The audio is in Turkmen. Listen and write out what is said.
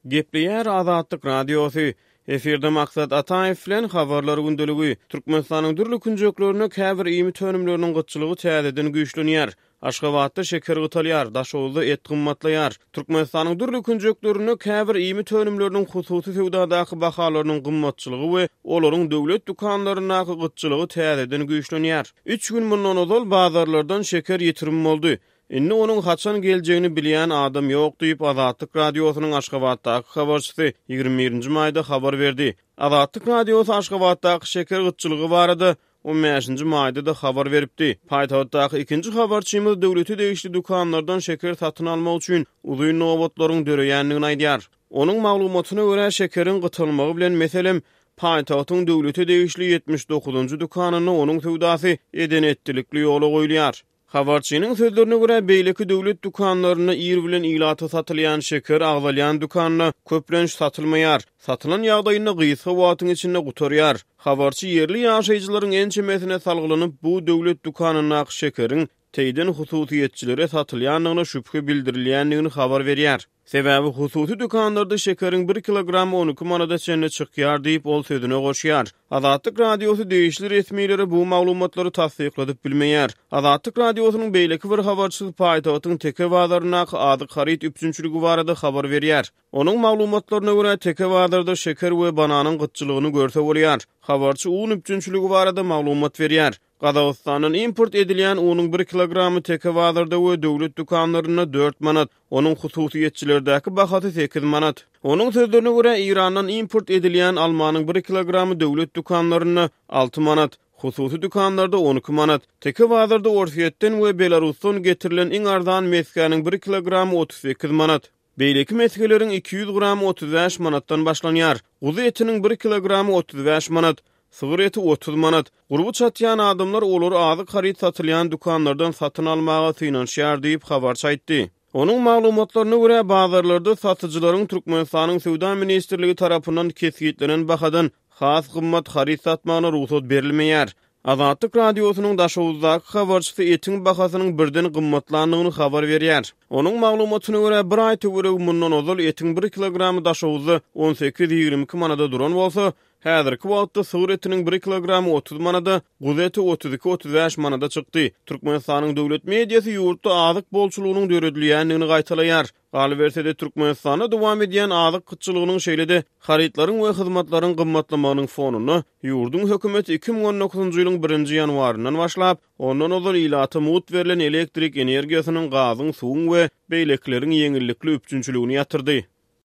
Gepleýär Azatlyk Radiosy. Efirde Maksat Ataýew bilen Habarlar gündeligi. Türkmenistanyň dürli künjeklerinde käbir iýmit önümleriniň gytçylygy täzeden güýçlenýär. Aşgabatda şeker gytalýar, Daşoguzda et gymmatlaýar. Türkmenistanyň dürli künjeklerinde käbir iýmit önümleriniň hususy söwdadaky bahalarynyň gymmatçylygy we olaryň döwlet dükanlaryndaky gytçylygy täzeden güýçlenýär. Üç gün mundan ozal bazarlardan şeker ýitirim boldy. Indi onuň haçan geljegini bilýän adam ýok diýip, Azatlyk Radiosynyň Aşgabatdaky habarçysy 21 nji maýda habar berdi. Azatlyk Radiosy Aşgabatdaky şeker gytçylygy barada on bäşinji maýda-da habar beripdi. Paýtagtdaky ikinji habarçymyz döwlete degişli dükanlardan şeker satyn almak üçin uzyn nobatlaryň döreýändigini aýdýar. Onuň maglumatyna görä, şekeriň gytalmagy bilen, meselem, paýtagtyň döwlete degişli 79-njy dükanynda onuň söwdasy eden-etdilikli ýola goýulýar. Habarçynyň sözlerine görä, beýleki döwlet dükanlarynda ir bilen ilata satylýan şeker agzalýan dükanda köplenç satylmaýar, satylan ýagdaýynda gysga wagtyň içinde gutarýar. Habarçy ýerli ýaşaýjylaryň ençemesine salgylanyp, bu döwlet dükanyndaky şekeriň teýden hususyýetçilere satylýandygyna şübhe bildirilýändigini habar berýär. Sebäbi hususy dükanlarda şekeriň bir kilogramy 12 manada çenli çykýar diýip, ol sözüne goşýar. Azatlyk Radiosy degişli resmilere bu maglumatlary tassykladyp bilmeýär. Azatlyk Radiosynyň beýleki bir habarçysy paýtagtyň Teke bazaryndaky azyk haryt üpjünçiligi barada habar berýär. Onuň maglumatlaryna görä, Teke bazarda şeker we bananyň gytçylygyny görse bolýar. Habarçy un üpjünçiligi barada maglumat berýär. Gazagystandan import edilýän unuň bir kilogramy Teke bazarda we döwlet dükanlarynda dört manat, onuň hususyýetçilerdäki bahasy sekiz manat. Onuň sözlerine görä, Eýrandan import edilýän almanyň bir kilogramy döwlet dükanlarynda alty manat, hususy dükanlarda 12 manat. Teke bazarda Orsýetden we Belarusdan getirilen iň arzan mesgäniň bir kilogramy 38 manat. Beýleki mesgeleriň 200 gramy 35 manatdan başlanýar. Guzy etiniň bir kilogramy 35 manat, sygyr eti 30 manat. Gurby çatýan adamlar olary azyk haryt satylýan dükanlardan satyn almaga synanyşýar diýip, habarçy aýtdy. Onuň maglumatlaryna görä, bazarlarda satyjylaryň Türkmenistanyň Söwda ministrligi tarapyndan kesgitlenen bahadan has gymmat haryt satmagyna rugsat berilmeýär. Azatlyk Radiosynyň Daşoguzdaky habarçysy etiň bahasynyň birden gymmatlandygyny habar berýär. Onuň maglumatyna görä, bir aý töweregi mundan ozal etiň bir kilogramy Daşoguzda on sekiz-ýigrimi iki manada duran bolsa, häzirki wagtda sygyr etiniň bir kilogramy 30 manada, guzy eti 32-35 manada çykdy. Türkmenistanyň döwlet mediasy ýurtda azyk bolçulygynyň döredilýändigini gaýtalaýar. Galyberse-de, Türkmenistanda dowam edýän azyk gytçylygynyň, şeýle-de harytlaryň we hyzmatlaryň gymmatlamagynyň fonunda, ýurduň hökümeti 2019-njy ýylyň birinji ýanwaryndan başlap, ondan ozal ilata mugt berlen elektrik energiýasynyň, gazyň, suwuň we beýlekileriň ýeňillikli üpjünçiligini ýatyrdy.